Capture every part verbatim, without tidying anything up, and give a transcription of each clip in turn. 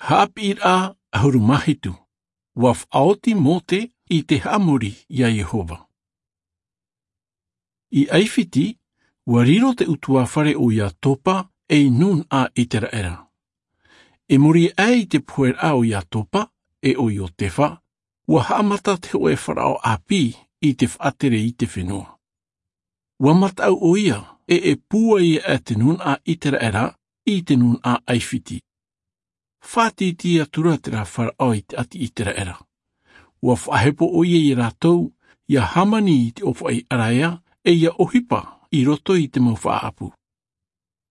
Haʻapiʻiraʻa ʻahuru mā hitu. Ua faʻaoti Mōte i te haʻamori iā Iehova. I ʻAifiti, ua riro te ʻutuāfare o Iatopa ei nūnaʻa ʻĪteraʻera. I muri aʻe i te poheraʻa o Iatopa e o Iotefa, ua haʻamata te hōʻē faraʻo ʻāpī i te faʻatere i te fenua. Ua mataʻu ʻoia e e pūai aʻe te nūnaʻa ʻĪteraʻera i te nūnaʻa ʻAifiti. Faʻatītī atura terā faraʻo i te ʻāti ʻĪteraʻera. Ua faʻahepo ʻoia iā rātou ʻia hāmani i te ʻōfaʻi ʻaraea e ʻia ʻohipa i roto i te mau faʻaʻapu.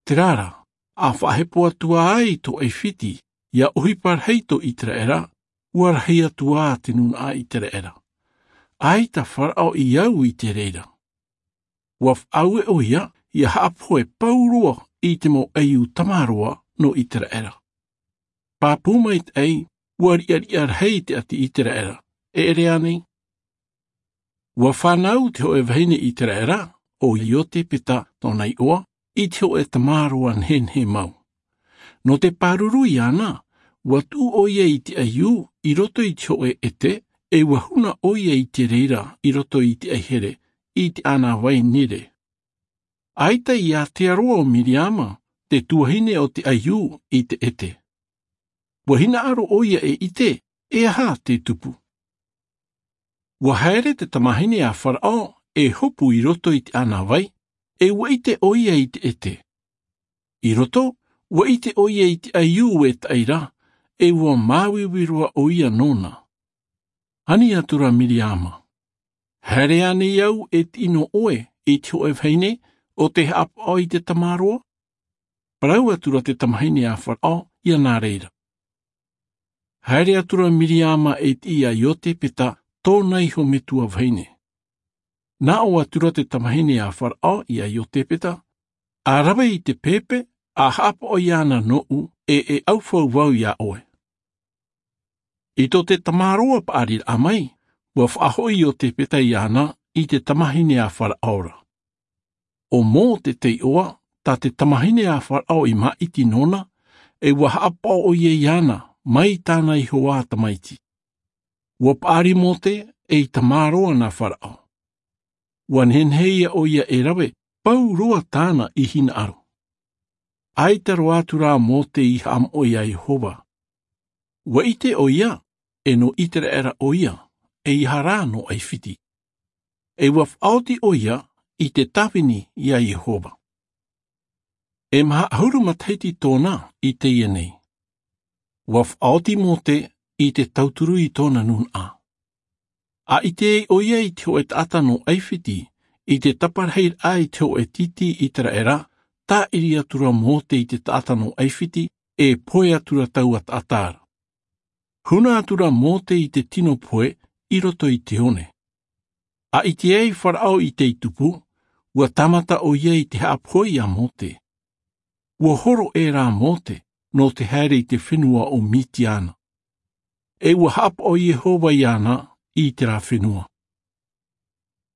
Terā rā, a faʻahepo atu ai tō ʻAifiti ʻia ʻohipa rahi tō ʻĪteraʻera, ua rahi atu ā te nūnaʻa ʻĪteraʻera. ʻAita faraʻo i au i te reira. Ua faʻaue ʻoia ʻia haʻapohe pauroa i te mau ʻaiū tamaroa nō ʻĪteraʻera. Pāpū maitaʻi, ua riʻariʻa rahi te ʻāti ʻĪteraʻera, e ʻere ānei? Ua fānau te hōʻē vahine ʻĪteraʻera, o Iotepeta tōna iʻoa, i te hōʻē tamaroa nehenehe mau. Nō te pāruru iāna, ua tuʻu ʻoia i te ʻaiū i roto i te hōʻē ʻete, e ua huna ʻoia i te reira i roto i te ʻaihere, i te ʻānāvai Nile. ʻAita i ātea roa ʻo Miriama, te tuahine o te ʻaiū, i te ʻete. Ua hinaʻaro ʻoia e ʻite e aha te tupu. Ua haere te tamāhine a Faraʻo e hopu i roto i te ʻānāvai, e ua ʻite ʻoia i te ʻete. I roto, ua ʻite ʻoia i te ʻaiū e taʻi ra, e ua māuiui roa ʻoia nōna. Ani atura Miriama, haere ānei au e tiʻi nō ʻoe i te hōʻē vahine ʻo tē haʻapaʻo i te tamaroa? Parau atura te tamāhine a Faraʻo iāna reira. Haere atura Miriama e tiʻi iā Iotepeta tōna iho metua vahine. Nā ʻō atura te tamāhine a Faraʻo iā Iotepeta, a rave i te pēpē, a haʻapaʻo iāna nōʻu, e e ʻaufau vau iā ʻoe. I tō te tamaroa paʻariraʻa mai, ua faʻahoʻi Iotepeta iāna i te tamāhine a Faraʻo ra. ʻO Mōte te iʻoa, tā te tamāhine a Faraʻo i māʻiti nōna, e ua haʻapaʻo ʻoia iāna mai tāna iho ā tamaiti. Ua paʻari Mōte ei tamaroa nā Faraʻo. Ua nehenehe ʻoia e rave pauroa tāna i hinaʻaro. ʻAita roa atura Mōte i haʻamoʻe iā Iehova. Ua ʻite ʻoia, e nō ʻĪteraʻera ʻoia, e ʻeiaha rā nō ʻAifiti. E ua faʻaoti ʻoia i te tāvini iā Iehova. E maha ʻahuru matahiti tōna i teie nei. Ua faʻaoti Mōte i te tauturu i tōna nūnaʻa. A ʻite ai ʻoia i te hōʻē taʻata nō ʻAifiti, i te taparahi raʻa i te hōʻē tītī ʻĪteraʻera, tāʻiri atura Mōte i te taʻata nō ʻAifiti, e pohe atura taua taʻata ra. Huna atura Mōte i te tino pohe i roto i te one. A ʻite ai Faraʻo i tei tupu, ua tāmata ʻoia i te haʻapohe iā Mōte. Ua horo ʻē rā Mōte, nō te haere i te fenua o Mitiana. E ua haʻapaʻo Iehova iāna i terā fenua.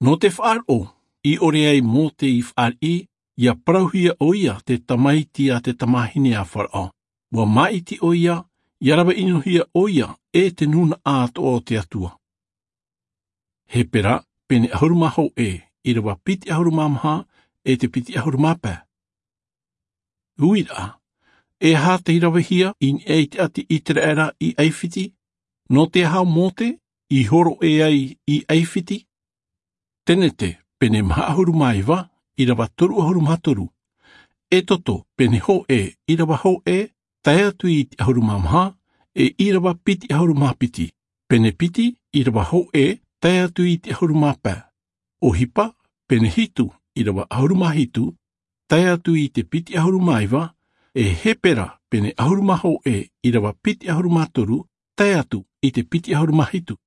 Nō te faʻaroʻo, i ʻore ai Mōte i fāriʻi, ʻia parauhia ʻoia te tamaiti a te tamāhine a Faraʻo. Ua māʻiti ʻoia, ʻia rave ʻinohia ʻoia e te nūnaʻa atoʻa o te Atua. Hepera, pene ʻahuru mā hōʻē, ʻīrava piti ʻahuru mā maha, e te piti ʻahuru mā pae. Uiraʻa, e aha tei ravehia i niʻa i te ʻāti ʻĪteraʻera i ʻAifiti? Nō te aha Mōte i horo ʻē ai i ʻAifiti? Tenete, pene maha ʻahuru mā iva, ʻīrava toru ʻahuru mā toru. Exodo, pene hōʻē, ʻīrava hōʻē, tae atu i te ʻahuru mā maha, e ʻīrava piti ʻahuru mā piti. Pene piti, ʻīrava hōʻē, tae atu i te ʻahuru mā pae. ʻOhipa, pene hitu, ʻīrava ʻahuru mā hitu, tae atu i te piti ʻahuru mā iva, e Hepera, pene ʻahuru mā hōʻē, ʻīrava piti ʻahuru mā toru, tae atu i te piti ʻahuru mā hitu.